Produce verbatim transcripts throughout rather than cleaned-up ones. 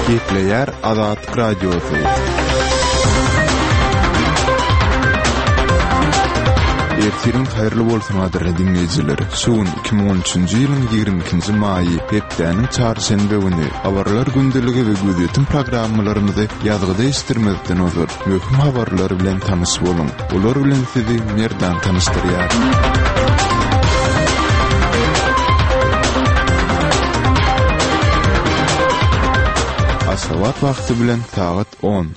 Gepleýär Azatlyk Radiosy. Ertiriň haýyrly bolsun gadyrly diňleýjiler. Şu gün iki müň on üçünji ýylyň ýigrimi ikinji maýy, hepdäniň çarşenbe güni. Habarlar gündeligi we gözýetim programmalarymyzy ýazgyda eşitdirmezden ozal, möhüm habarlar bilen tanyş boluň. Olar bilen sizi Merdan tanyşdyrýar. Aşgabat wagty bilen sagat on.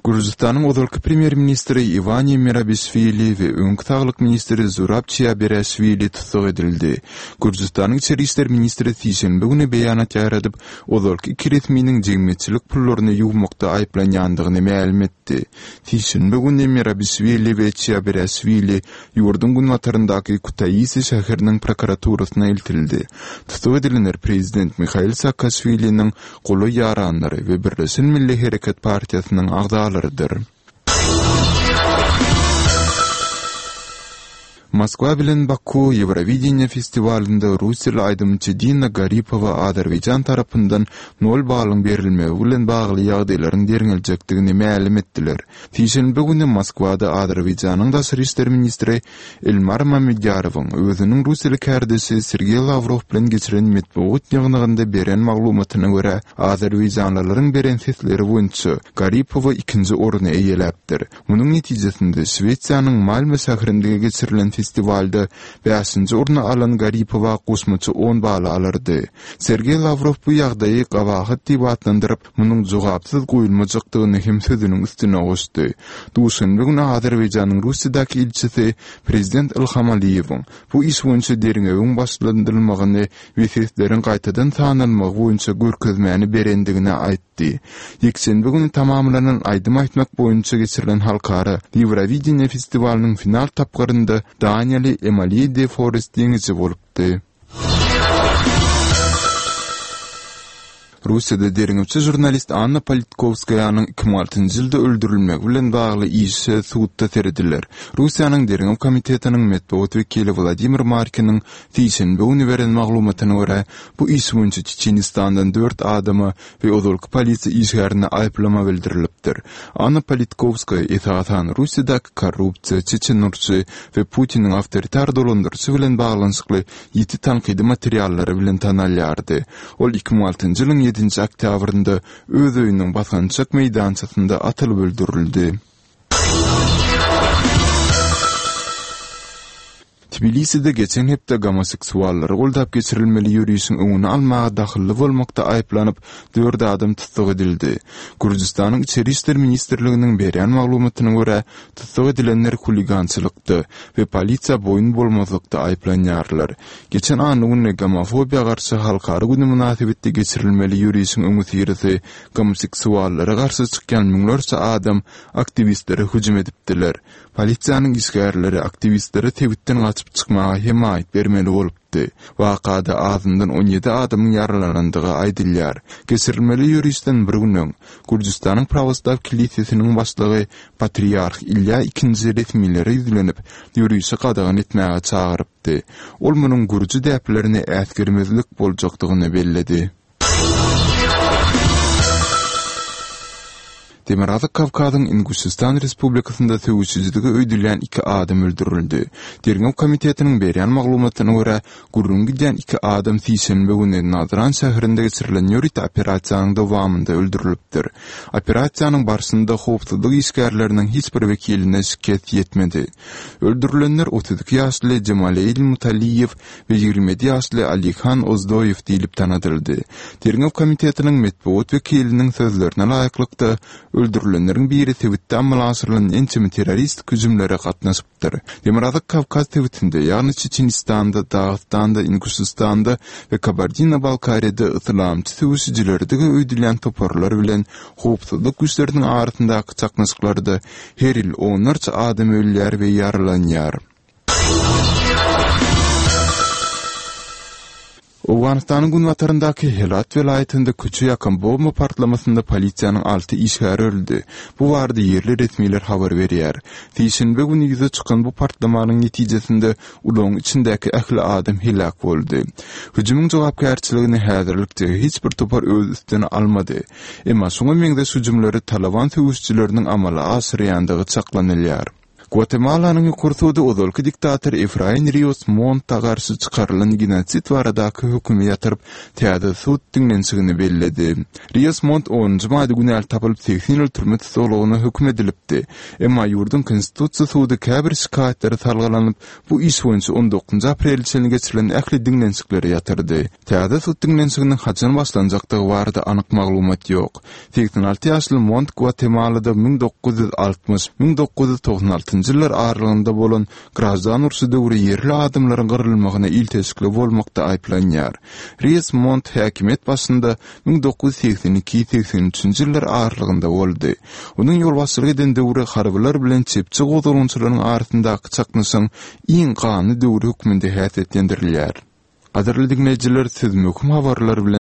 Gürjüstanyň ozalky premýer-ministri Iwani Merabişwili we öňki saglyk ministri Zurab Çiabereşwili tussag edildi. Gürjüstanyň içeri işler ministri sişenbe güni beýanat ýaýradyp, ozalky iki resminiň jemgyýetçilik pullaryny ýuwmakda aýyplanýandygyny mälim etdi. Sişenbe güni Merabişwili we Çiabereşwili ýurduň günbataryndaky Kutaisi şäheriniň prokuraturasyna eltildi. Tussag edilenler prezident Mihail Saakaşwiliniň golaý ýaranlary we Birleşen Milli Hereket partiýasynyň agzalarydyr. Moskwa bilen Baku Ýewrowideniýe festiwalynda russiýaly aýdymçy Dina Garipowa Azerbaýjan tarapyndan nol balyň berilmegi bilen bagly ýagdaýlaryň derňeljekdigini mälim etdiler. Sişenbe güni Moskwada Azerbaýjanyň daşary işler ministri Elmar Mamedýarowyň özüniň russiýaly kärdeşi Sergeý Lawrow bilen geçiren metbugat ýygnagynda beren maglumatyna görä, azerbaýjanlylaryň beren sesleri boýunça Garipowa ikinji orny eýeläpdir. Munuň netijesinde Şwesiýanyň Malmö şäherinde geçirilen festiwalda bäşinji orny alan Garipowa goşmaça on bal alardy. Sergeý Lawrow bu ýagdaýy gabahat diýip atlandyryp, munuň jogapsyz goýulmajakdygyny hem sözüniň üstüne goşdy. Duşenbe güni Azerbaýjanyň Russiýadaky ilçisi prezident Ilham Aliýewiň bu iş boýunça derňewiň başlandyrylmagyny we sesleriň gaýtadan sanalmagy boýunça görkezmäni berendigini aýtdy. Ýekşenbe güni tamamlanan aýdym aýtmak boýunça geçirilen halkara Ýewrowideniýe festiwalynyň final tapgyrynda Daniýaly Emaliýe de Forest ýeňiji bolupdy. Russiýada derňewçi žurnalist Anna Politkowskaýanyň iki müň altynjy ýylda öldürilmegi bilen bagly işe sudda serediler. Russiýanyň Derňew komitetiniň metbugat wekili Wladimir Markiniň sişenbe güni beren maglumatyna görä, bu iş boýunça Çeçenistandan dört adama we ozalky polisiýa işgärine aýyplama bildirilipdir. Anna Politkowskaýa esasan Russiýadaky korrupsiýa, çeçen urşy we Putiniň awtoritar dolandyryşy bilen baglanyşykly ýiti tankydy materiallary bilen tanalýardy. Ol iki müň altynjy ýylyň ýedinji oktýabrynda öz öýüniň basgançak meýdançasynda atylyp öldürildi. Tbiliside geçen hepde gomoseksuallary goldap geçirilmeli ýörişiň öňüni almaga dahylly bolmakda aýyplanyp, dört adam tussag edildi. Gürjüstanyň Içeri işler ministrliginiň berýän maglumatyna görä, tussag edilenler huligançylykda we polisiýa boýun bolmazlykda aýyplanýarlar. Geçen anna güni gomofobiýa garşy halkara güni mynasybetli geçirilmeli ýörişiň öňüsyrasy gomoseksuallara garşy çykýan müňlerçe adam aktiwistlere hüjüm edipdiler. Polisiýanyň işgärleri aktiwistlere sebitden gaçyp çykmaga hemaýat bermeli bolupdy. Wakada azyndan on ýedi adamyň ýaralanandygy aýdylýar. Geçirilmeli ýörişden bir gün öň, Gürjüstanyň Prawoslaw kilisesiniň başlygy Patriarh Ilýa ikinji resmilere ýüzlenip, ýörişi gadagan etmäge çagyrypdy. Ol munuň gürji däplerini äsgermezlik boljakdygyny belledi. Demirgazyk Kawkazyň Inguşystan Respublikasynda söweşijiligi öýdülýän iki adam öldürildi. Derňew komitetiniň berýän maglumatyna görä, gürrüňi gidýän iki adam sişenbe güni Nazran şäherinde geçirilen ýörite operasiýanyň dowamynda öldürilipdir. Operasiýanyň barşynda howpsuzlyk işgärleriniň hiç bir wekiline şikes ýetmedi. Öldürilenler otuz iki ýaşly Jemaleýl Mutaliýew we ýigrimi ýedi ýaşly Alihan Ozdoýew diýlip tanadyldy. Derňew komitetiniň metbugat wekiliniň sözlerine laýyklykda, öldürilenleriň biri sebitde amala aşyrylan ençeme terroristik hüjümlere gatnaşypdyr. Demirgazyk Kawkaz sebitinde, ýagny Çeçenistanda, Dagystanda, Inguşystanda we Kabardino-Balkariýada yslamçy söweşijilerdigi öýdülýän toparlar bilen howpsuzlyk güýçleriniň arasyndaky çaknyşyklarda her ýyl onlarça adam ölýär we ýaralanýar. Owganystanyň günbataryndaky Helat welaýatynda köçe ýakan bomba partlamasynda polisiýanyň alty işgäri öldi. Bu barada ýerli resmiler habar berýär. Sişenbe güni ýüze çykan bu partlamanyň netijesinde ulagyň içindäki ähli adam heläk boldy. Hüjümiň jogapkärçiligini häzirlikçe hiç bir topar öz üstüne almady. Emma şuňa meňzeş hüjümleri Talaban söweşijileriniň amala aşyrýandygy çaklanylýar. Gwatemalanyň ýokary sudy ozalky diktator Efrain Rios Monta garşy çykarylan genosid baradaky hökümi ýatyryp, täze sud diňlenişigini belledi. Rios Mont onunjy maýda günäli tapylyp, segsen ýyl türme tussaglygyna höküm edilipdi. Emma ýurduň Konstitusiýa sudy käbir şikaýatlara salgylanyp, bu iş boýunça on dokuzynjy aprele çenli geçirilen ähli diňlenişikleri ýatyrdy. Täze sud diňlenişiginiň haçan başlanjakdygy barada anyk maglumat ýok. Segsen alty ýaşly Mont Gwatemalada müň dokuz ýüz altmyş, müň dokuz ýüz togsan altynjy ýyllar aralygynda bolan graždan urşy döwri ýerli adamlaryň gyrylmagyna ilteşikli bolmakda aýyplanýar. Rios Mont häkimiýet başynda müň dokuz ýüz segsen iki, segsen üçünji ýyllar aralygynda boldy. Onuň ýolbaşçylyk eden döwri harbylar bilen çepçi gozgalaňçylaryň arasyndaky çaknyşygyň iň ganly döwri hökmünde häsiýetlendirilýär. Gadyrly diňleýjiler, siz möhüm habarlar bilen